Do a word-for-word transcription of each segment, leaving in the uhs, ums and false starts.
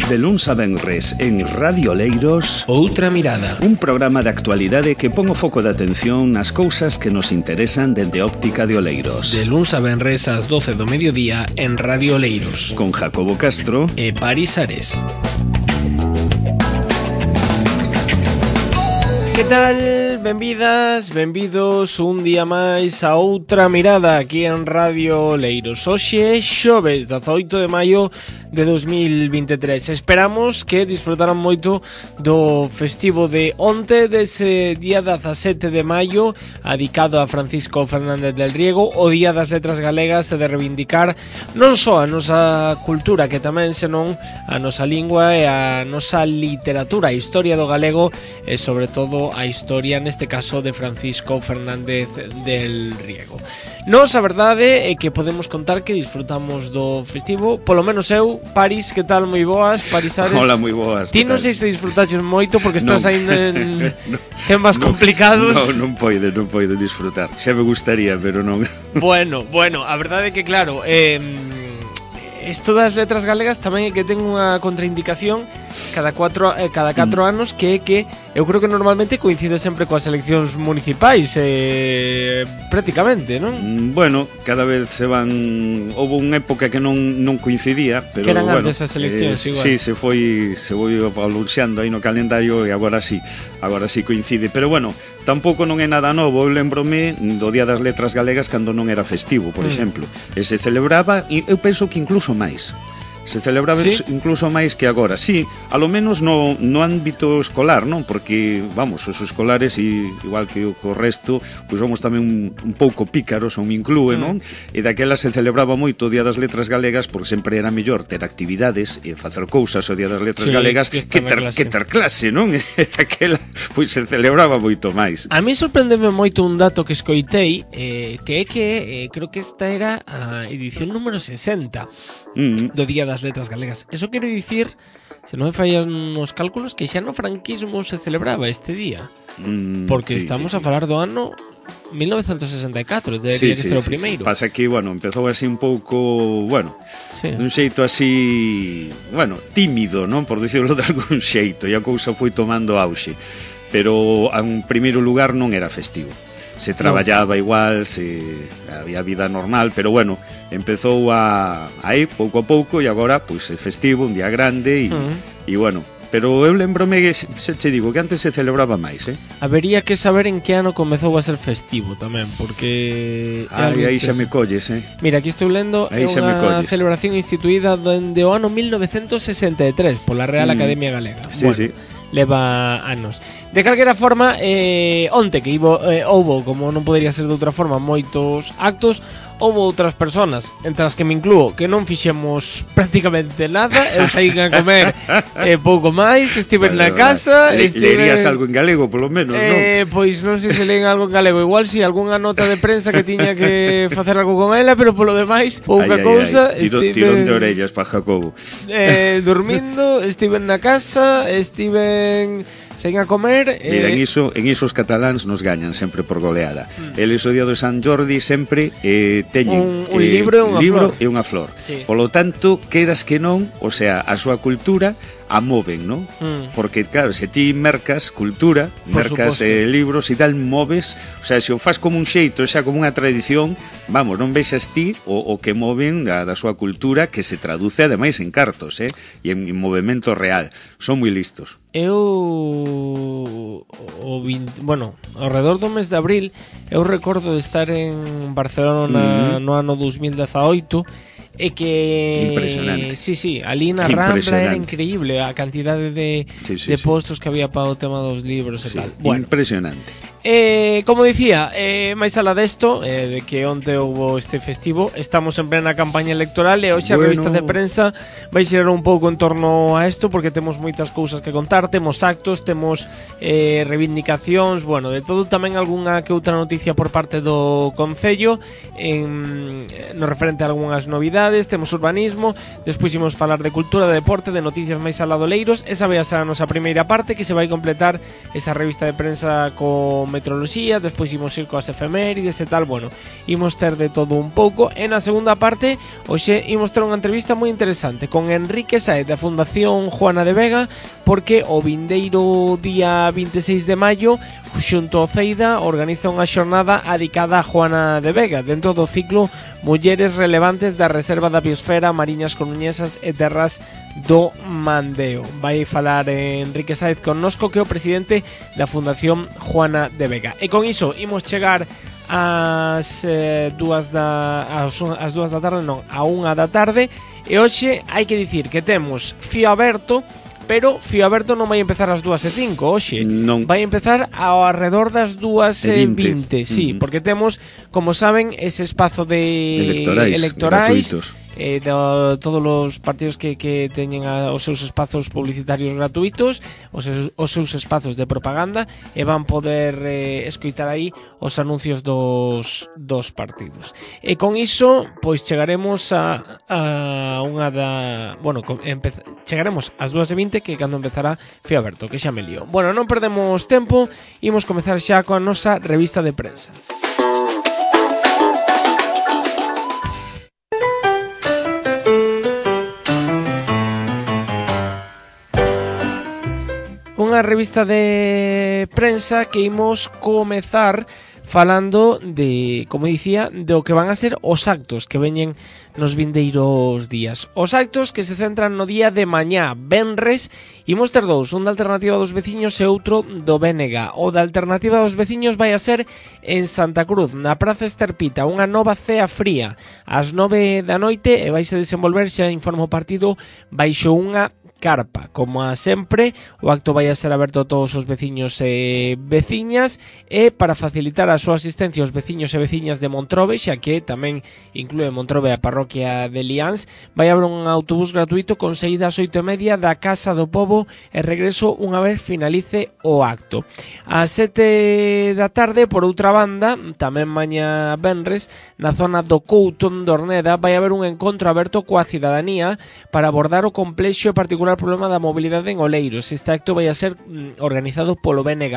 De luns a venres en Radio Oleiros, Outra Mirada, un programa de actualidade que pon o foco de atención nas cousas que nos interesan dende a óptica de Oleiros. De luns a venres ás doce do mediodía en Radio Oleiros, con Jacobo Castro e Paris Ares. Que tal? Benvidas, benvidos un día máis a Outra Mirada aquí en Radio Oleiros. Hoxe, xoves, dezaoito de maio de dos mil veintitrés. Esperamos que disfrutaran moito do festivo de onte, dese día dezasete de maio, dedicado a Francisco Fernández del Riego, o Día das Letras Galegas, e de reivindicar non só a nosa cultura, que tamén senón a nosa lingua e a nosa literatura, a historia do galego e sobre todo a historia, neste caso, de Francisco Fernández del Riego. Nos, a verdade é que podemos contar que disfrutamos do festivo, polo menos eu. Paris, que tal? Moi boas, Paris Ares. Hola, moi boas. Ti non sei se disfrutaches moito porque estás non. aí en no, temas no, complicados. Non, non poide, non poide disfrutar. Xa me gustaría, pero non. Bueno, bueno, a verdade é que claro, eh, isto das letras galegas tamén é que ten unha contraindicación cada cuatro, eh, cada catro mm. anos, que é que eu creo que normalmente coincide sempre coas eleccións municipais, eh, prácticamente, non? Bueno, cada vez se van... Houve unha época que non, non coincidía, pero que eran bueno, antes as eleccións, eh, igual. Sí, se foi, se foi aluxando aí no calendario e agora sí, agora sí coincide. Pero bueno, tampouco non é nada novo. Eu lembrome do Día das Letras Galegas cando non era festivo, por mm. exemplo. E se celebraba, e eu penso que incluso máis. Se celebraba ¿Sí? incluso máis que agora. Sí, a lo menos no, no ámbito escolar, non? Porque, vamos, os escolares, e, igual que o co resto, pois somos tamén un, un pouco pícaros, ou me inclúe, mm. non? E daquela se celebraba moito o Día das Letras Galegas, porque sempre era mellor ter actividades e facer cousas o Día das Letras sí, Galegas que, que, ter, que ter clase, non? E daquela, pois se celebraba moito máis. A mí sorprendeme moito un dato que escoitei, eh, que é que, eh, creo que esta era a edición número sesenta mm. do Día das Letras Galegas. Eso quere dicir, se non me fallan os cálculos, que xa no franquismo se celebraba este día. Mm, porque sí, estamos sí, a falar do ano mil novecentos sesenta e catro, debería sí, que ser sí, o primeiro. Sí. Pasa que, bueno, empezou así un pouco, bueno, sí. dun xeito así, bueno, tímido, non? Por dicirlo de algún xeito, e a cousa foi tomando auxe. Pero, en primeiro lugar, non era festivo. Se traballaba no. igual, se había vida normal, pero bueno, empezou a aí pouco a pouco, e agora pois é festivo, un día grande e uh-huh. e bueno, pero eu lembrome que se che digo que antes se celebraba máis, eh. Habería que saber en que ano comezou a ser festivo tamén, porque Ai, aí xa me colles, eh. Mira, aquí estou lendo, é unha celebración instituída dende o ano mil novecentos sesenta e tres pola Real mm. Academia Galega. Sí, bueno, sí. Leva anos. De calquera forma, eh, onte que ibo, eh, houbo, como non podería ser de outra forma, moitos actos. Houbo outras personas, entre as que me inclúo, que non fixemos prácticamente nada. Eu saí a comer eh, pouco máis, estive vale, na casa vale. estive... Lerías algo en galego, polo menos, eh, non? Pois non sei se leen algo en galego. Igual si, sí, algunha nota de prensa que tiña que facer algo con ela, pero polo demais, pouca ai, cousa. Ai, ai. Tiro, estive... Tirón de orellas para Jacobo. eh, Dormindo, estive na casa, estive... sen a comer. Mira, eh... en iso, en iso os cataláns nos gañan sempre por goleada. Mm. Eles o día do San Jordi sempre eh, teñen un, un eh, libro e unha libro flor. E unha flor. Sí. Polo tanto, queiras que non, o sea, a súa cultura a moven, non? Mm. Porque, claro, se ti mercas cultura, por mercas eh, libros e tal, moves, o sea, se o faz como un xeito, xa como unha tradición, vamos, non vexas ti o, o que moven da, da súa cultura, que se traduce ademais en cartos, eh? E en, en movimento real. Son moi listos. Eu o veinte, bueno, ao redor do mes de abril, eu recordo de estar en Barcelona mm. no ano dos mil dezaoito. É que... Impresionante. Sí, sí, ali na Rambla era increíble a cantidade de, sí, sí, de postos sí. que había para o tema dos libros e sí, tal. Bueno, impresionante. Eh, como dicía, eh, máis alá desto, eh, de que onte houve este festivo, estamos en plena campaña electoral e hoxe bueno. a revista de prensa vai xerar un pouco en torno a isto, porque temos moitas cousas que contar, temos actos, temos eh, reivindicacións, bueno, de todo, tamén algunha que outra noticia por parte do Concello en, no referente a algunhas novidades, temos urbanismo, despois imos falar de cultura, de deporte, de noticias máis aladoleiros. Esa vai a ser a nosa primeira parte, que se vai completar esa revista de prensa co metroloxía, despois imos ir coas efemérides e tal, bueno, imos ter de todo un pouco. E na segunda parte, hoxe imos ter unha entrevista moi interesante con Enrique Saez da Fundación Juana de Vega, porque o vindeiro día vinte e seis de maio, xunto ao Ceida, organiza unha xornada dedicada a Juana de Vega, dentro do ciclo Mulleres Relevantes da Reserva da Biosfera, Mariñas Coruñesas e Terras do Mandeo. Vai falar Enrique Saez connosco, que é o presidente da Fundación Juana de Vega. E con iso imos chegar ás eh, dúas da ás, ás dúas da tarde, non, a unha da tarde. E hoxe hai que dicir que temos fío aberto, pero fío aberto non vai empezar ás dúas e cinco hoxe, non. Vai empezar ao arredor das dúas e vinte, sí, uh-huh. Porque temos, como saben, ese espazo de electorais, electorais eh, de todos os partidos que, que teñen a, os seus espazos publicitarios gratuitos, os seus, os seus espazos de propaganda, e van poder eh, escoitar aí os anuncios dos, dos partidos. E con iso, pois chegaremos a, a unha da... Bueno, empeza, chegaremos ás dúas e vinte, que é cando empezará Fío Aberto, que xa me lío. Bueno, non perdemos tempo, imos comezar xa coa nosa revista de prensa. Unha revista de prensa que imos comezar falando de, como dicía, do que van a ser os actos que veñen nos vindeiros días. Os actos que se centran no día de mañá, venres, imos ter dous, un da Alternativa dos Veciños e outro do B N G. O da Alternativa dos Veciños vai a ser en Santa Cruz, na Praza Esterpita, unha nova cea fría ás nove da noite, e vaise desenvolver, xa informa o partido, baixo unha carpa. Como a sempre, o acto vai a ser aberto a todos os veciños e veciñas, e para facilitar a súa asistencia aos veciños e veciñas de Montrobe, xa que tamén inclúe Montrobe a parroquia de Liáns, vai haber un autobús gratuito con saída ás oito e media da Casa do Pobo e regreso unha vez finalice o acto. Ás sete da tarde, por outra banda, tamén mañá venres, na zona do Couto de Orneda, vai haber un encontro aberto coa cidadanía para abordar o complexo e particular problema da mobilidade en Oleiros. Este acto vai a ser mm, organizado polo B N G.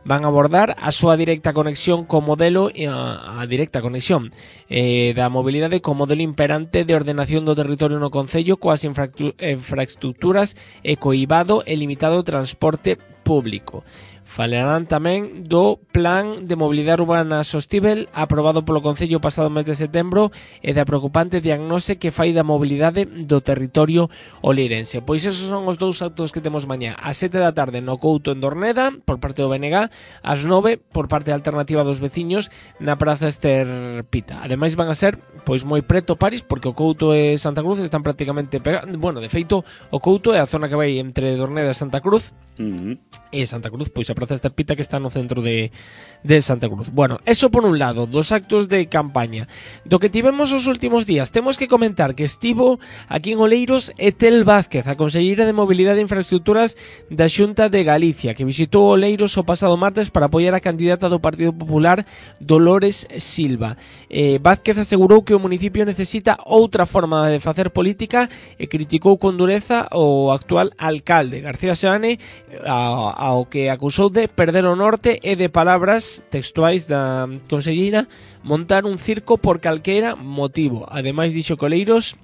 Van a abordar a súa directa conexión co modelo a, a directa conexión eh, da mobilidade co modelo imperante de ordenación do territorio no concello, coas infraestructuras e coibado e limitado transporte público. Falarán tamén do Plan de Mobilidade Urbana Sostíbel aprobado polo Concello pasado mes de setembro e da preocupante diagnose que fai da mobilidade do territorio oleirense. Pois esos son os dous actos que temos mañá. Ás sete da tarde no Couto en Dorneda por parte do B N G, ás nove por parte da Alternativa dos Veciños na Praza Esterpita. Ademais van a ser pois moi preto París, porque o Couto e Santa Cruz están prácticamente pegados. Bueno, de feito, o Couto é a zona que vai entre Dorneda e Santa Cruz. Uh-huh. E Santa Cruz, pois a Praza Esterpita, que está no centro de, de Santa Cruz. Bueno, eso por un lado, dos actos de campaña. Do que tivemos os últimos días, temos que comentar que estivo aquí en Oleiros Etel Vázquez, a conselleira de Mobilidade e Infraestructuras da Xunta de Galicia, que visitou Oleiros o pasado martes para apoiar a candidata do Partido Popular, Dolores Silva. eh, Vázquez asegurou que o municipio necesita outra forma de facer política e criticou con dureza o actual alcalde, García Seane, ao, ao que acusou de perder o norte e de palabras textuais da conselleira montar un circo por calquera motivo. Ademais dixo que Oleiros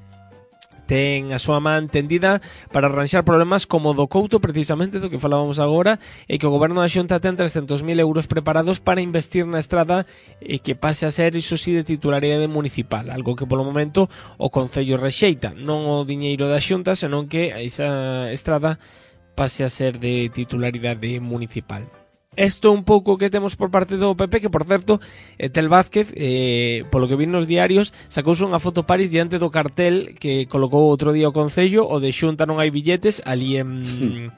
ten a súa man tendida para arranxar problemas como do Couto, precisamente do que falábamos agora, e que o goberno da Xunta ten trescentos mil euros preparados para investir na estrada e que pase a ser, iso sí, de titularidade municipal, algo que polo momento o Concello rexeita, non o diñeiro da Xunta, senón que esa estrada pase a ser de titularidade municipal. Isto un pouco que temos por parte do P P, que por certo, Etel Vázquez, eh, polo que vi nos diarios, sacouse unha foto París diante do cartel que colocou outro día o Concello, o de Xunta non hai billetes, ali en...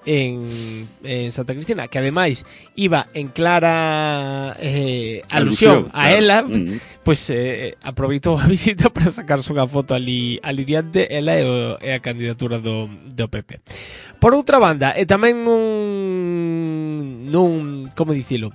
En, en Santa Cristina, que ademais iba en clara eh, alusión, alusión a claro. Ela, mm. Pois eh, aproveitou a visita para sacarse unha foto ali, ali diante, ela e, o, e a candidatura do, do P P. Por outra banda, e tamén nun, nun como dicilo,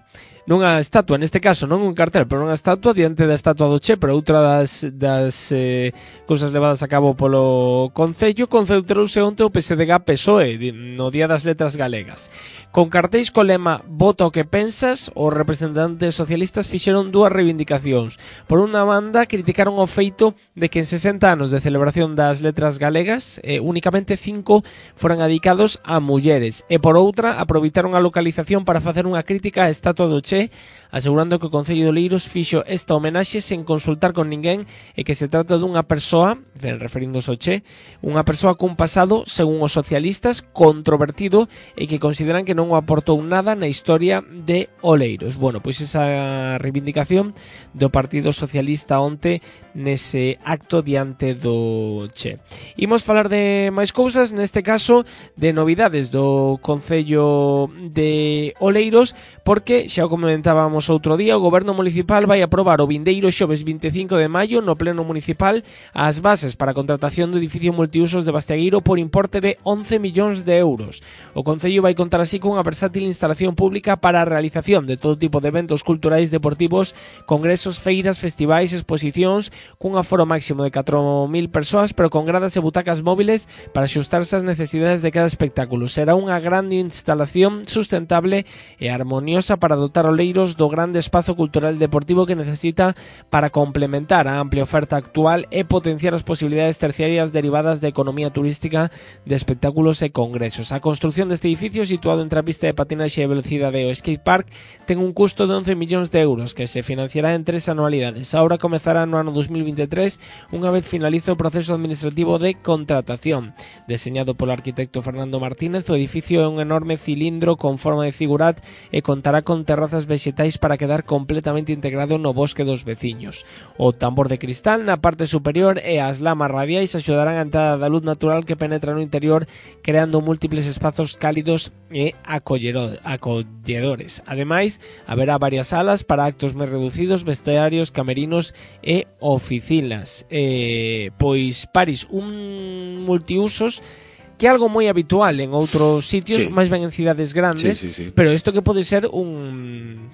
nunha estatua, neste caso non un cartel, pero nunha estatua diante da estatua do Che, pero outra das, das eh, cousas levadas a cabo polo Concello, concentrouse onte o P S D G P S O E no Día das Letras Galegas. Con cartéis co lema "Vota o que pensas", os representantes socialistas fixeron dúas reivindicacións. Por unha banda, criticaron o feito de que en sesenta anos de celebración das letras galegas eh, únicamente cinco foran dedicados a mulleres, e por outra, aproveitaron a localización para facer unha crítica á estatua do Che, asegurando que o Concello de Oleiros fixo esta homenaxe sen consultar con ninguén e que se trata dunha persoa, referíndose ao Che, unha persoa cun pasado, según os socialistas, controvertido e que consideran que non o aportou nada na historia de Oleiros. Bueno, pois esa reivindicación do Partido Socialista onte nese acto diante do Che. Imos falar de máis cousas, neste caso de novidades do Concello de Oleiros, porque xa o comentábamos outro día, o Goberno Municipal vai aprobar o vindeiro xoves vinte e cinco de maio no Pleno Municipal as bases para a contratación do edificio multiusos de Bastegueiro por importe de once millóns de euros. O Concello vai contar así con unha versátil instalación pública para a realización de todo tipo de eventos culturais, deportivos, congresos, feiras, festivais, exposicións, cun aforo máximo de catro mil persoas, pero con gradas e butacas móviles para axustarse ás necesidades de cada espectáculo. Será unha grande instalación sustentable e armoniosa para dotar Oleiros do grande espazo cultural e deportivo que necesita para complementar a amplia oferta actual e potenciar as posibilidades terciarias derivadas da economía turística de espectáculos e congresos. A construción deste edificio, situado entre a pista de patinaxe e velocidade e o skate park, ten un custo de once millóns de euros que se financiará en tres anualidades. Ahora comezará no ano dos mil vinte e tres, unha vez finalice o proceso administrativo de contratación. Deseñado polo arquitecto Fernando Martínez, o edificio é un enorme cilindro con forma de figurat e contará con terrazas vexetais para quedar completamente integrado no bosque dos veciños. O tambor de cristal na parte superior e as lamas radiais axudarán a entrada da luz natural que penetra no interior, creando múltiples espazos cálidos e acolledores. Ademais, haberá varias salas para actos máis reducidos, vestuarios, camerinos e oficinas. Eh, pois, Paris, un multiusos que é algo moi habitual en outros sitios, sí, máis ben en cidades grandes, sí, sí, sí. Pero isto que pode ser un...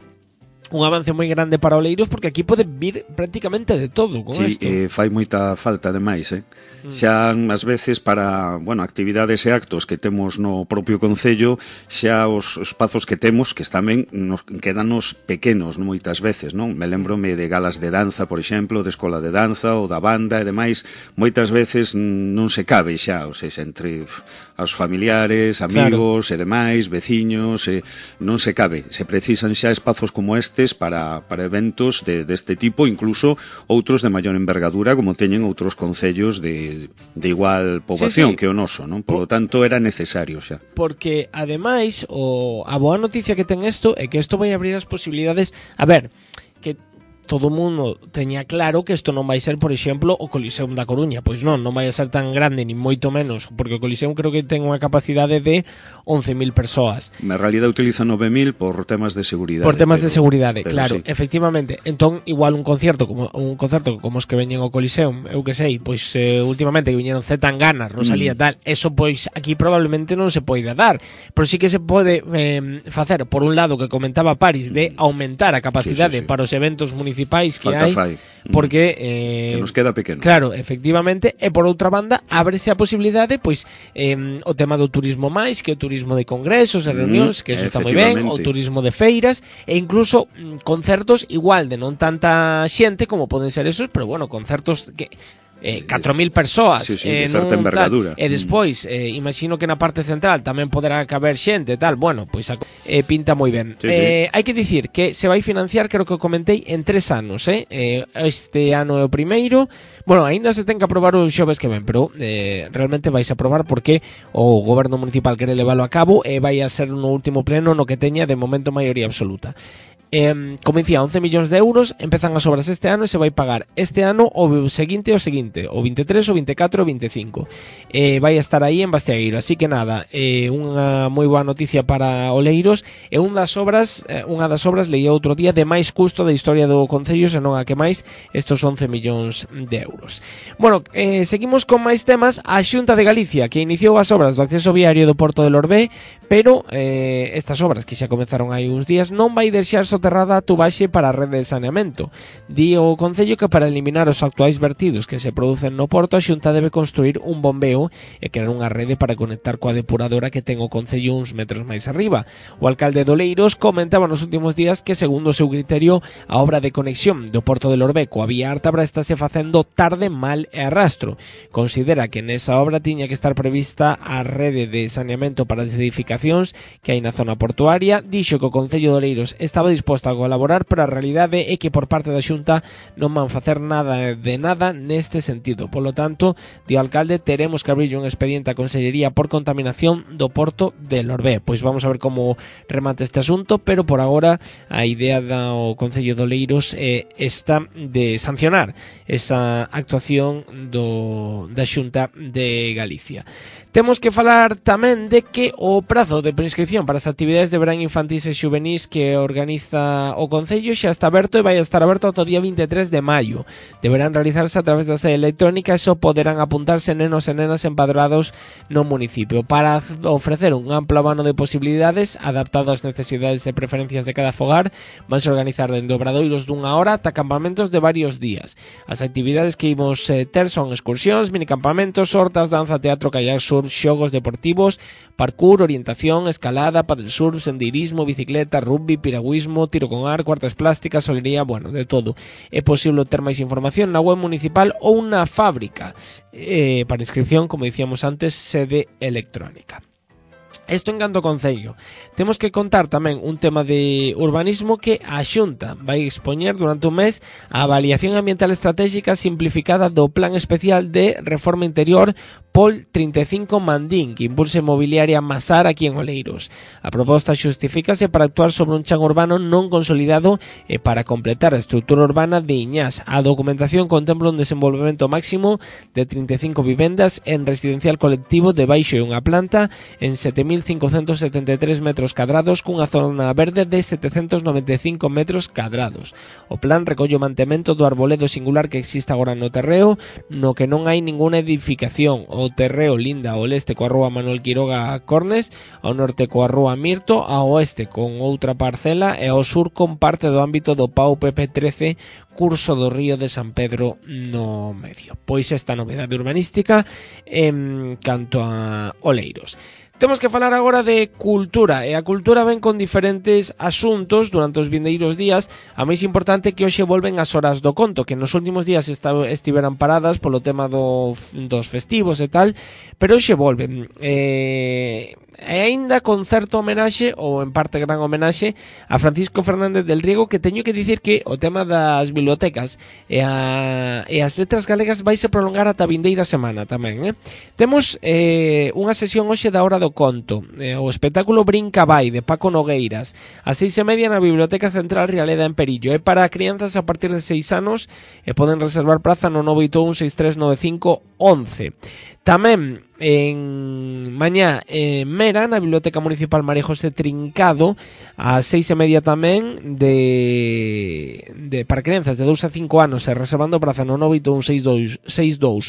un avance moi grande para Oleiros, porque aquí pode vir prácticamente de todo con isto. Sí, eh, fai moita falta ademais, eh? Mm. Xa ás veces para, bueno, actividades e actos que temos no propio Concello, xa os espazos que temos, que tamén nos quedanos pequenos, non, moitas veces, non? Me lembrome de galas de danza, por exemplo, de escola de danza ou da banda e demais, moitas veces non se cabe xa, ou seja, entre os familiares, amigos, claro, e demais, veciños, e non se cabe, se precisan xa espazos como este para, para eventos de, deste tipo, incluso outros de maior envergadura, como teñen outros concellos de, de igual poboación, sí, sí, que o noso, non? Por lo tanto, era necesario xa. Porque, ademais, o, a boa noticia que ten isto é que isto vai abrir as posibilidades. A ver, que todo o mundo teña claro que isto non vai ser, por exemplo, o Coliseum da Coruña. Pois non, non vai a ser tan grande, ni moito menos, porque o Coliseum creo que ten unha capacidade de once mil persoas. Na realidade utiliza nove mil por temas de seguridade. Por temas pero, de seguridade, pero claro, sí, efectivamente. Entón, igual un concerto como un concerto como os que veñen ao Coliseum, eu que sei, pois eh, últimamente que viñeron Zetangana, Rosalía, mm. tal, eso pois aquí probablemente non se poida dar, pero sí que se pode eh, facer, por un lado, que comentaba Paris, de aumentar a capacidade, sí, sí, sí, para os eventos municipais que hai, porque eh, se nos queda pequeno. Claro, efectivamente, e por outra banda ábrese a posibilidade, pois eh, o tema do turismo máis, que o turismo de congresos e reunións, que eso está moi ben, o turismo de feiras e incluso mm, concertos igual de non tanta xente como poden ser esos, pero bueno, concertos que Eh, catro mil persoas, sí, sí, eh, de certa envergadura. Tal, e despois, eh, imagino que na parte central tamén poderá caber xente, tal, bueno, pois eh, pinta moi ben. Sí, eh, sí. Hai que dicir que se vai financiar, creo que o comentei, en tres anos, eh? eh este ano é o primeiro. Bueno, aínda se ten que aprobar os xoves que ven, pero eh, realmente vais a aprobar porque o goberno municipal quere leválo a cabo e vai a ser no último pleno no que teña de momento maioría absoluta. Eh, como dicía, once millóns de euros, empezan as obras este ano e se vai pagar este ano o seguinte o seguinte, o vinte e tres, o vinte e catro, o vinte e cinco. Eh, vai a estar aí en Bastegueiro, así que nada, eh, unha moi boa noticia para Oleiros, e unha das obras, eh, unha das obras leía outro día de máis custo da historia do concello, senón a que máis estos once millóns de euros. Bueno, eh, seguimos con máis temas. A Xunta de Galicia, que iniciou as obras do acceso viario do Porto del Orbé, pero eh, estas obras que xa comezaron hai uns días non vai deixar só soterrada a tubaxe para a rede de saneamento. Di o Concello que para eliminar os actuais vertidos que se producen no porto, a Xunta debe construir un bombeo e crear unha rede para conectar coa depuradora que ten o Concello uns metros máis arriba. O alcalde de Oleiros comentaba nos últimos días que, segundo o seu criterio, a obra de conexión do porto de Lorbe coa vía Ártabra estáse facendo tarde, mal e arrastro. Considera que nesa obra tiña que estar prevista a rede de saneamento para as edificacións que hai na zona portuaria. Dixo que o Concello de Oleiros estaba disposto a colaborar, pero a realidade é que por parte da Xunta non van facer nada de nada neste sentido. Polo tanto, di o alcalde, teremos que abrir un expediente a Consellería por contaminación do porto de Lorbe. Pois vamos a ver como remata este asunto, pero por agora a idea do Concello de Oleiros é esta de sancionar esa actuación do, da Xunta de Galicia. Temos que falar tamén de que o prazo de prescripción para as actividades de verán infantís e xuvenís que organiza o Concello xa está aberto e vai estar aberto ata o día vinte e tres de maio. Deberán realizarse a través da sede electrónica e só poderán apuntarse nenos e nenas empadroados no municipio. Para ofrecer un amplo abano de posibilidades adaptado ás necesidades e preferencias de cada fogar, vanse organizar dende obradoiros dunha hora ata campamentos de varios días. As actividades que imos eh, ter son excursións, minicampamentos, hortas, danza, teatro, kayak, surf, xogos deportivos, parkour, orientación, escalada, paddle surf, sendeirismo, bicicleta, rugby, piragüismo, tiro con arco, artes plásticas, solería, bueno, de todo. É posible ter máis información na web municipal ou na fábrica. Eh, para inscripción, como dicíamos antes, sede electrónica. Isto en canto ao Concello. Temos que contar tamén un tema de urbanismo que a Xunta vai expoñer durante un mes a avaliación ambiental estratégica simplificada do Plan Especial de Reforma Interior Pol trinta e cinco Mandín, que impulsa inmobiliaria Masar aquí en Oleiros. A proposta xustifícase para actuar sobre un chan urbano non consolidado e para completar a estrutura urbana de Iñás. A documentación contempla un desenvolvemento máximo de trinta e cinco vivendas en residencial colectivo de baixo e unha planta en sete mil cincocentos setenta e tres metros cadrados cunha zona verde de setecentos noventa e cinco metros cadrados. O plan recolle o mantemento do arboledo singular que existe agora no terreo, no que non hai ninguna edificación. O terreo linda ao leste coa rúa Manuel Quiroga a Cornes, ao norte coa rúa Mirto, ao oeste con outra parcela e ao sur con parte do ámbito do P A U P P trece curso do río de San Pedro no medio. Pois esta novedade urbanística en canto a Oleiros. Temos que falar agora de cultura, e a cultura ven con diferentes asuntos durante os vindeiros días. A máis importante que hoxe volven as horas do conto, que nos últimos días estiveran paradas polo tema do, dos festivos e tal, pero hoxe volven. E... e aínda con certo homenaxe, ou en parte gran homenaxe, a Francisco Fernández del Riego, que teño que dicir que o tema das bibliotecas e, a, e as letras galegas vaise prolongar ata a vindeira semana tamén, eh? Temos eh, unha sesión hoxe da hora do conto, eh, o espectáculo Brinca Vai, de Paco Nogueiras, a seis e media na Biblioteca Central Rialeda en Perillo. É para crianzas a partir de seis anos e poden reservar praza no nove oito un seis tres nove cinco once. Tamén en mañá en Mera, na Biblioteca Municipal María José Trincado, a seis e media tamén de, de para crianzas de dous a cinco anos e reservando praza no nove oito un seis dous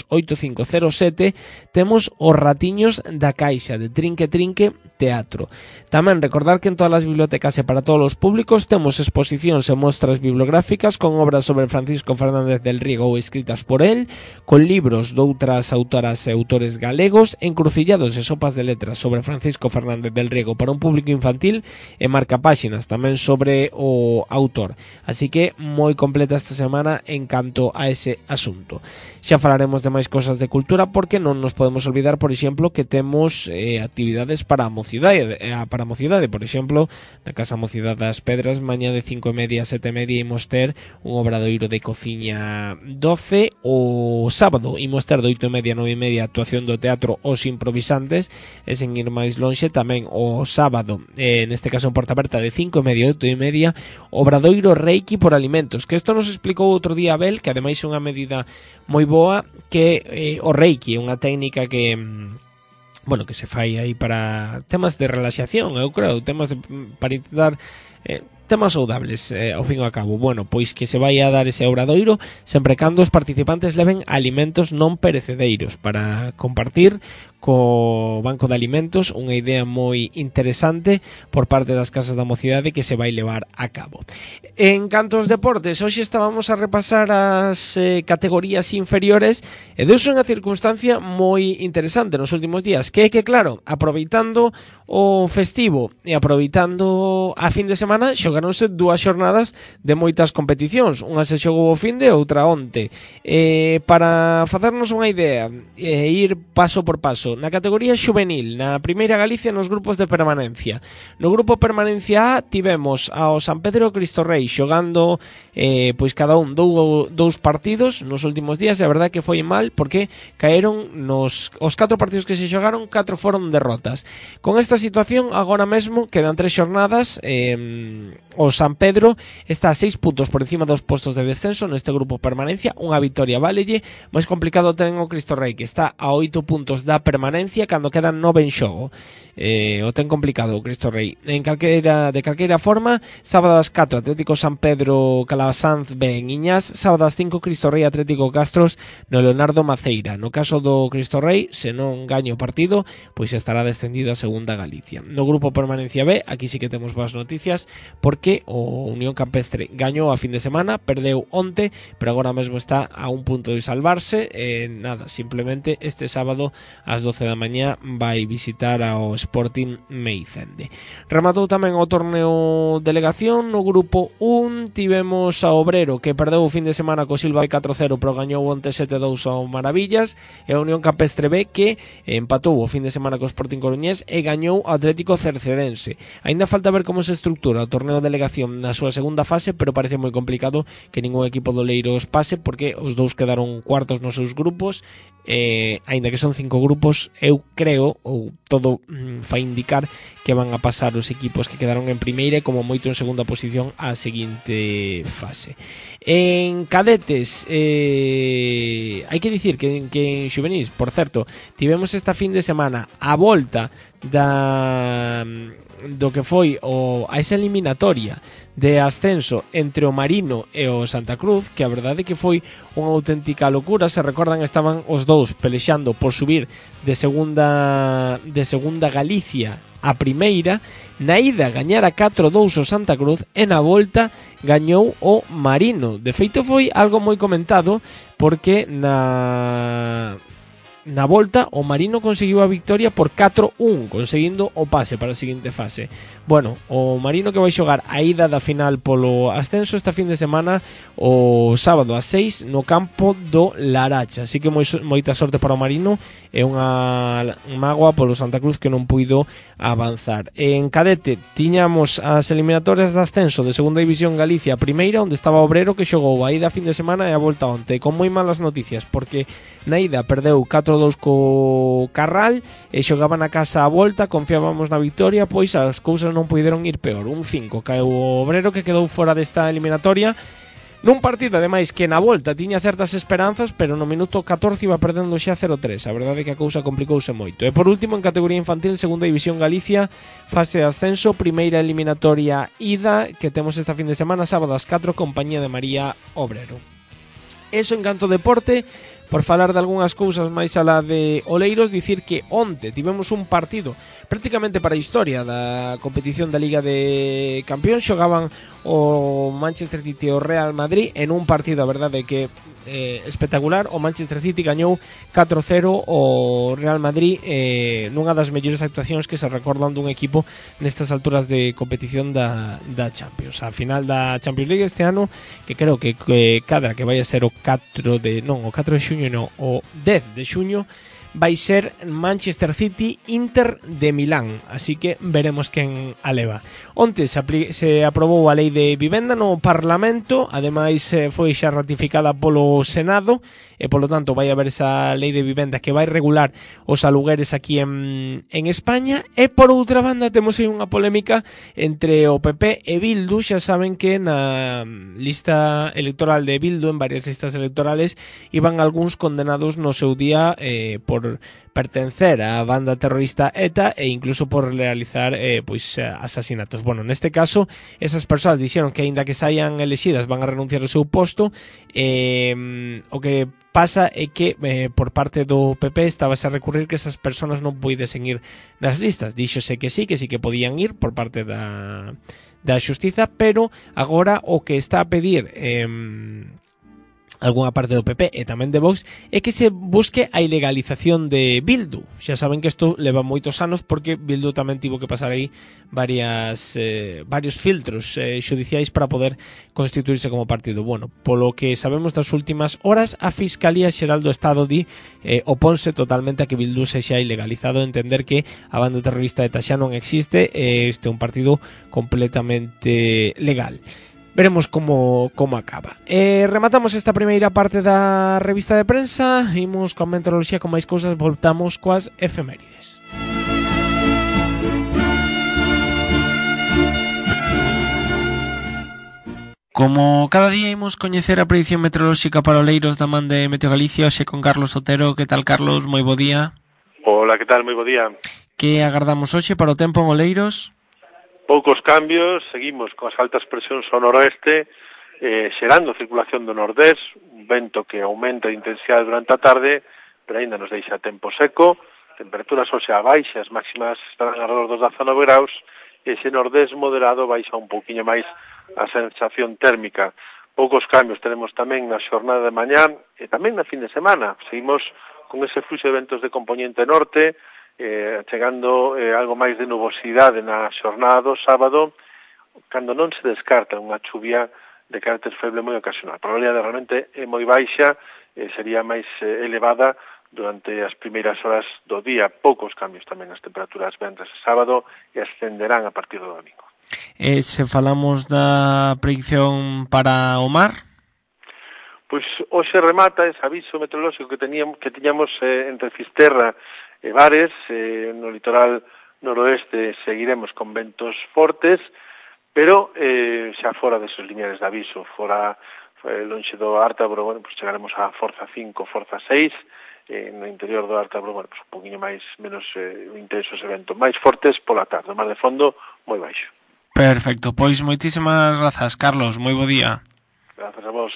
oito cinco cero sete. Temos os Ratiños da Caixa, de Trinque Trinque Teatro. Tamén recordar que en todas as bibliotecas e para todos os públicos temos exposicións e mostras bibliográficas con obras sobre Francisco Fernández del Riego ou escritas por él, con libros de outras autoras e autores galegos, encrucillados e sopas de letras sobre Francisco Fernández del Riego para un público infantil e marcapáxinas tamén sobre o autor. Así que moi completa esta semana en canto a ese asunto. Xa falaremos de máis cosas de cultura, porque non nos podemos olvidar, por exemplo, que temos eh, actividades para a mocidade, eh, para a mocidade, por exemplo, na Casa Mocidade das Pedras, mañá de cinco e media a sete e media imos ter un obradoiro de cociña doce. O sábado imos ter de oito e media a nove e media actuación do teatro Os Improvisantes, e sen ir máis lonxe tamén o sábado, eh, neste caso en Porta Aberta, de cinco e media a oito e media, obradoiro Reiki por alimentos, que isto nos explicou outro día Abel, que ademais é unha medida moi boa, que eh, o Reiki é unha técnica que bueno, que se fai aí para temas de relaxación, eu creo, temas de, para intentar eh, temas saudables, eh, ao fin e ao cabo. Bueno, pois que se vai a dar ese obradoiro sempre cando os participantes leven alimentos non perecedeiros para compartir co Banco de Alimentos, unha idea moi interesante por parte das casas da mocidade que se vai levar a cabo. En canto aos deportes, hoxe estábamos a repasar as eh, categorías inferiores e deus unha circunstancia moi interesante nos últimos días, que é que, claro, aproveitando o festivo e aproveitando a fin de semana, xogaronse dúas xornadas de moitas competicións. Unha se xogou o fin de, outra onte. Eh, para facernos unha idea e eh, ir paso por paso, na categoría xuvenil, na primeira Galicia nos grupos de permanencia. No grupo permanencia A tivemos ao San Pedro e Cristo Rei xogando eh, pois cada un dou, dous partidos nos últimos días, e a verdade que foi mal porque caeron nos os catro partidos que se xogaron, catro foron derrotas. Con esta situación agora mesmo quedan tres xornadas, eh, o San Pedro está a seis puntos por encima dos postos de descenso neste grupo permanencia, unha vitoria válelle. Máis complicado ten o Cristo Rei, que está a oito puntos da permanencia cando quedan nove en xogo. Eh, o ten complicado o Cristo Rei. En calquera, de calquera forma, sábado ás catro Atlético San Pedro Calasanz ben Iñás, sábado ás cinco Cristo Rei Atlético Castros no Leonardo Maceira. No caso do Cristo Rei, se non gaña o partido, pois estará descendido a segunda Galicia. No grupo permanencia B, aquí sí que temos boas noticias, porque o Unión Campestre gañou a fin de semana, perdeu onte, pero agora mesmo está a un punto de salvarse. Eh, nada, simplemente este sábado ás doce da mañá vai visitar ao Sporting Meicende. Rematou tamén o torneo delegación. No grupo un tivemos a Obrero, que perdeu o fin de semana co Silva catro cero, pero gañou onte sete dous ao Maravillas, e a Unión Campestre B, que empatou o fin de semana co Sporting Coruñés e gañou o Atlético Cercedense. Aínda falta ver como se estructura o torneo delegación na súa segunda fase, pero parece moi complicado que ningún equipo do Leiros pase, porque os dous quedaron cuartos nos seus grupos. Eh, aínda que son cinco grupos, eu creo, ou todo mm, fai indicar que van a pasar os equipos que quedaron en primeira e como moito en segunda posición á seguinte fase. En cadetes, eh, hai que dicir que, que en xuvenis, por certo, tivemos esta fin de semana a volta da do que foi o, a esa eliminatoria de ascenso entre o Marino e o Santa Cruz, que a verdade é que foi unha auténtica locura. Se recordan, estaban os dous pelexando por subir de segunda de segunda Galicia a primeira. Na ida gañara catro dous o Santa Cruz e na volta gañou o Marino. De feito foi algo moi comentado, porque na na volta o Marino conseguiu a victoria por catro un, conseguindo o pase para a seguinte fase. Bueno, o Marino que vai xogar a ida da final polo ascenso esta fin de semana o sábado a seis no campo do Laracha, así que moi, moita sorte para o Marino, e unha mágoa polo Santa Cruz que non puido avanzar. En cadete tiñamos as eliminatorias de ascenso de segunda división Galicia primeira, onde estaba Obrero, que xogou a ida fin de semana e a volta onte, con moi malas noticias, porque na ida perdeu catro dous co Carral e xogaba na casa a volta. Confiábamos na victoria, pois as cousas non puideron ir peor. Un cinco caeu o Obrero, que quedou fora desta eliminatoria nun partido ademais que na volta tiña certas esperanzas, pero no minuto catorce iba perdendo xa cero tres. A verdade é que a cousa complicouse moito. E por último, en categoría infantil, segunda división Galicia, fase de ascenso, primeira eliminatoria ida, que temos esta fin de semana, sábado ás catro, compañía de María Obrero. Eso en canto deporte. Por falar de algunhas cousas máis alá de Oleiros, dicir que onte tivemos un partido prácticamente para a historia da competición da Liga de Campións. Xogaban o Manchester City e o Real Madrid en un partido, a verdade, que eh, espectacular. O Manchester City gañou catro cero o Real Madrid, eh, nunha das mellores actuacións que se recordan dun equipo nestas alturas de competición da, da Champions. A final da Champions League este ano, que creo que, que cadra que vai a ser o catro de non, o catro de xuño no, o dez de xuño, vai ser Manchester City Inter de Milán, así que veremos quen a leva. Onte se, se aprobou a lei de vivenda no Parlamento, ademais foi xa ratificada polo Senado, e polo tanto vai haber esa lei de vivenda que vai regular os alugueres aquí en, en España. E por outra banda temos aí unha polémica entre o P P e Bildu. Xa saben que na lista electoral de Bildu, en varias listas electorales, iban algúns condenados no seu día eh, por pertencer á banda terrorista ETA e incluso por realizar eh, pois asasinatos. Bueno, neste caso, esas persoas dixeron que aínda que saian elexidas van a renunciar ao seu posto. Eh, o que pasa é que eh, por parte do P P estabase a recurrir que esas persoas non puidesen ir nas listas. Díxose que sí, que sí que podían ir por parte da, da xustiza, pero agora o que está a pedir eh, algunha parte do P P e tamén de Vox é que se busque a ilegalización de Bildu. Xa saben que isto leva moitos anos porque Bildu tamén tivo que pasar aí varias eh, varios filtros eh, xudiciais para poder constituirse como partido. Bueno, polo que sabemos das últimas horas, a Fiscalía Xeral do Estado di eh, oponse totalmente a que Bildu sexa ilegalizado, entender que a banda terrorista ETA xa non existe e este é un partido completamente legal. Veremos como, como acaba. Eh, rematamos esta primeira parte da revista de prensa. Imos con meteoroloxía, con máis cousas. Voltamos coas efemérides. Como cada día imos coñecer a predicción meteorolóxica para Oleiros da man de Meteo Galicia, hoxe con Carlos Otero. Que tal, Carlos? Moi bo día. Hola, que tal? Moi bo día. Que agardamos hoxe para o tempo en Oleiros? Poucos cambios, seguimos con as altas presións ao noroeste, eh, xerando circulación do nordés, un vento que aumenta de intensidade durante a tarde, pero ainda nos deixa tempo seco, temperaturas hoxe a baixas, máximas estarán alrededor dos dezanove graus, e ese nordés moderado baixa un pouquiño máis a sensación térmica. Poucos cambios tenemos tamén na xornada de mañán e tamén na fin de semana. Seguimos con ese fluxo de ventos de componente norte, Eh, chegando eh, algo máis de nubosidade na xornada do sábado, cando non se descarta unha chuvia de carácter feble moi ocasional. A probabilidade realmente é moi baixa, eh, sería máis eh, elevada durante as primeiras horas do día. Poucos cambios tamén nas temperaturas venres e sábado e ascenderán a partir do domingo. E se falamos da predicción para o mar? Pois hoxe remata ese aviso meteorolóxico que teníamos, que tiñamos eh, entre Fisterra e Bares, eh, no litoral noroeste seguiremos con ventos fortes, pero eh, xa fora desos lineares de aviso, fora eh, lonxe do Ártabro, bueno, pues chegaremos a forza cinco, forza seis, eh, no interior do Ártabro, bueno, pues un poquinho máis, menos eh, intenso ese vento, máis fortes pola tarde, mar de fondo moi baixo. Perfecto, pois moitísimas grazas, Carlos, moi bo día. Grazas a vos.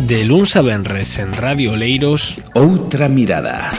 De luns a venres en Radio Oleiros, Outra Mirada.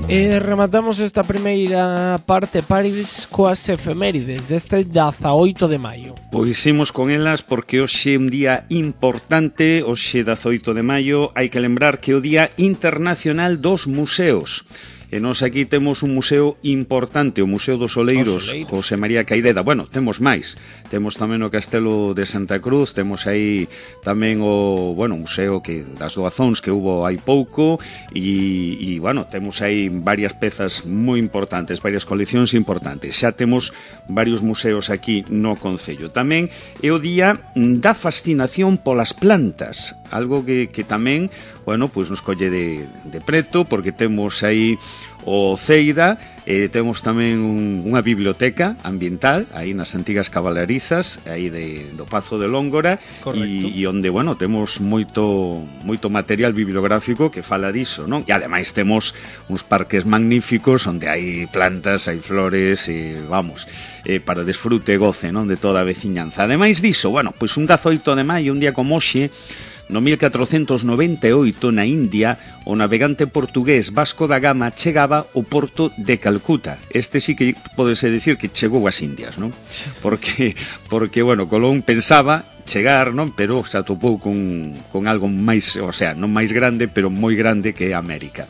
E rematamos esta primeira parte, Paris, coas efemérides deste dezaoito de maio. Pois imos con elas porque hoxe é un día importante. Hoxe dezaoito de maio hai que lembrar que é o Día Internacional dos Museos. E nós aquí temos un museo importante, o Museo dos Oleiros, Oleiros. José María Caideda. Bueno, temos máis. Temos tamén o Castelo de Santa Cruz, temos aí tamén o, bueno, museo que das doazóns que hubo hai pouco e, e bueno, temos aí varias pezas moi importantes, varias coleccións importantes. Xa temos varios museos aquí no concello. Tamén é o día da fascinación polas plantas, algo que, que tamén, bueno, pois nos colle de, de preto, porque temos aí o Ceida, eh, temos tamén un, unha biblioteca ambiental aí nas antigas cabalarizas aí de, do Pazo de Lóngora e, e onde, bueno, temos moito moito material bibliográfico que fala diso, non? E ademais temos uns parques magníficos onde hai plantas, hai flores e, vamos, eh, para desfrute e goce, non? De toda a veciñanza. Ademais diso, bueno, pois un dezaoito de maio, un día como hoxe, no mil catrocentos noventa e oito, na India, o navegante portugués Vasco da Gama chegaba ao porto de Calcuta. Este sí que podese decir que chegou ás Indias, non? Porque, porque bueno, Colón pensaba chegar, non? Pero se atopou con, con algo máis, o sea, non máis grande, pero moi grande que América.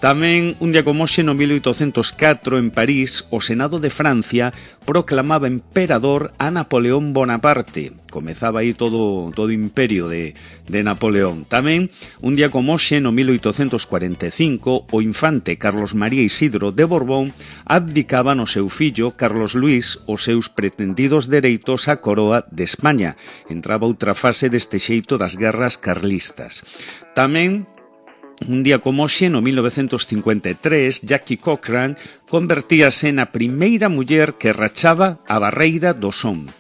Tamén, un día como hoxe, no mil oitocentos catro, en París, o Senado de Francia proclamaba emperador a Napoleón Bonaparte. Comezaba aí todo todo o imperio de, de Napoleón. Tamén, un día como hoxe, no mil oitocentos cuarenta e cinco, o infante Carlos María Isidro de Borbón abdicaba no seu fillo, Carlos Luís, os seus pretendidos dereitos á coroa de España. Entraba outra fase deste xeito das guerras carlistas. Tamén, un día como hoxe, no mil novecentos cincuenta e tres, Jackie Cochran convertíase na primeira muller que rachaba a barreira do son.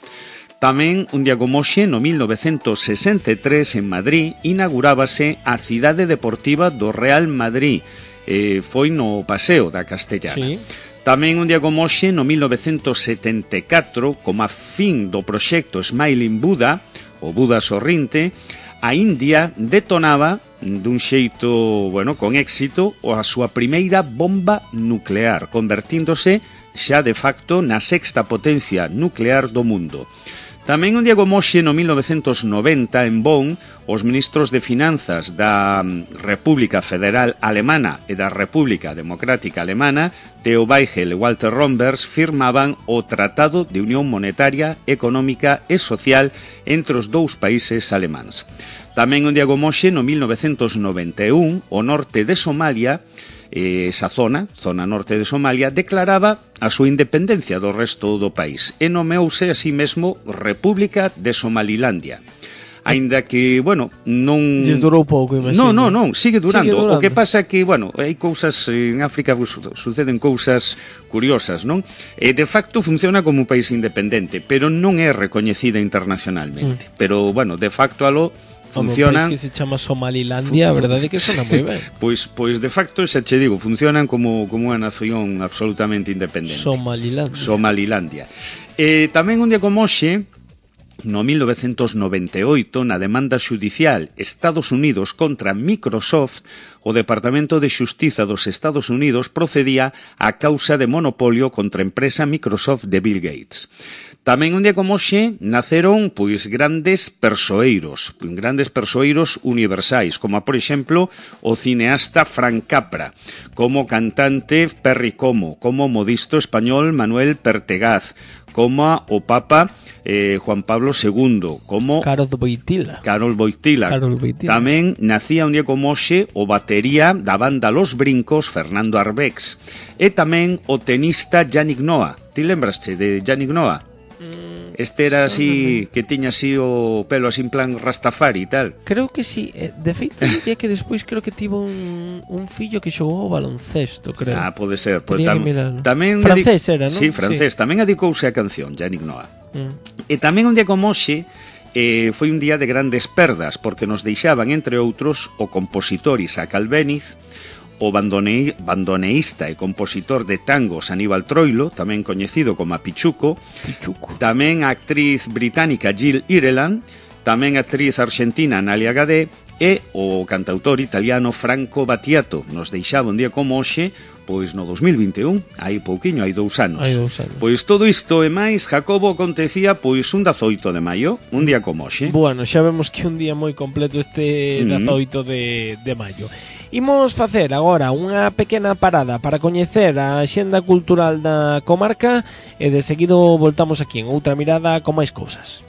Tamén, un día como hoxe, no mil novecentos sesenta e tres, en Madrid, inaugurábase a cidade deportiva do Real Madrid. Eh, foi no Paseo da Castellana. Sí. Tamén, un día como hoxe, no mil novecentos setenta e catro, como a fin do proxecto Smiling Buddha, o Buda sorrinte, a India detonaba dun xeito, bueno, con éxito, a súa primeira bomba nuclear, convertíndose xa de facto na sexta potencia nuclear do mundo. Tamén un día como hoxe, no mil novecentos noventa, en Bonn, os ministros de Finanzas da República Federal Alemana e da República Democrática Alemana, Theo Weigel e Walter Rombers, firmaban o Tratado de Unión Monetaria, Económica e Social entre os dous países alemáns. Tamén un día como hoxe, no mil novecentos noventa e un, o norte de Somalia, esa zona, zona norte de Somalia, declaraba a súa independencia do resto do país e nomeouse así mesmo República de Somalilandia. Aínda que, bueno, non... Lles durou pouco, imagino. Non, non, non, sigue durando. Sigue durando. O que pasa é que, bueno, hai cousas en África, suceden cousas curiosas, non? E de facto funciona como un país independente, pero non é recoñecida internacionalmente. Mm. Pero, bueno, de facto alo funcionan... Un país que se chama Somalilandia, a verdade é que sona moi ben. Pois, pois de facto, xa che digo, funcionan como, como unha nación absolutamente independente. Somalilandia. Somalilandia. E tamén un día como hoxe, no mil novecentos noventa e oito, na demanda xudicial Estados Unidos contra Microsoft, o Departamento de Xustiza dos Estados Unidos procedía á causa de monopolio contra a empresa Microsoft de Bill Gates. Tamén un día como hoxe naceron pois grandes persoeiros, grandes persoeiros universais, como por exemplo o cineasta Frank Capra, como cantante Perry Como, como modisto español Manuel Pertegaz, como o Papa eh, Juan Pablo segundo, como Carol Boitila. Carol Boitila. Carol Boitila. Tamén nacía un día como hoxe o batería da banda Los Brincos, Fernando Arbex, e tamén o tenista Yannick Noah. Ti lembraste de Yannick Noah? Este era así, que tiña así o pelo así en plan Rastafari e tal. Creo que sí, de feito diría que despois creo que tivo un, un fillo que xogou ao baloncesto, creo. Ah, pode ser, pues, tam, tamén francés era, non? Sí, francés, sí. Tamén adicouse a canción Yannick Noah. Mm. E tamén un día como hoxe eh, foi un día de grandes perdas, porque nos deixaban, entre outros, o compositor Isaac Albéniz, o bandone, bandoneísta e compositor de tangos Aníbal Troilo, tamén coñecido como a Pichuco, Pichuco. Tamén a actriz británica Jill Ireland, tamén a actriz argentina Nalia Gadé e o cantautor italiano Franco Battiato. Nos deixaba un día como hoxe, pois no dos mil vinte e un, hai pouquiño, hai dous anos. Hai dous anos. Pois todo isto e máis, Jacobo, acontecía pois un dezaoito de maio, un día como hoxe. Bueno, xa vemos que un día moi completo este dezaoito de, de maio. Imos facer agora unha pequena parada para coñecer a axenda cultural da comarca e de seguido voltamos aquí en outra mirada con máis cousas.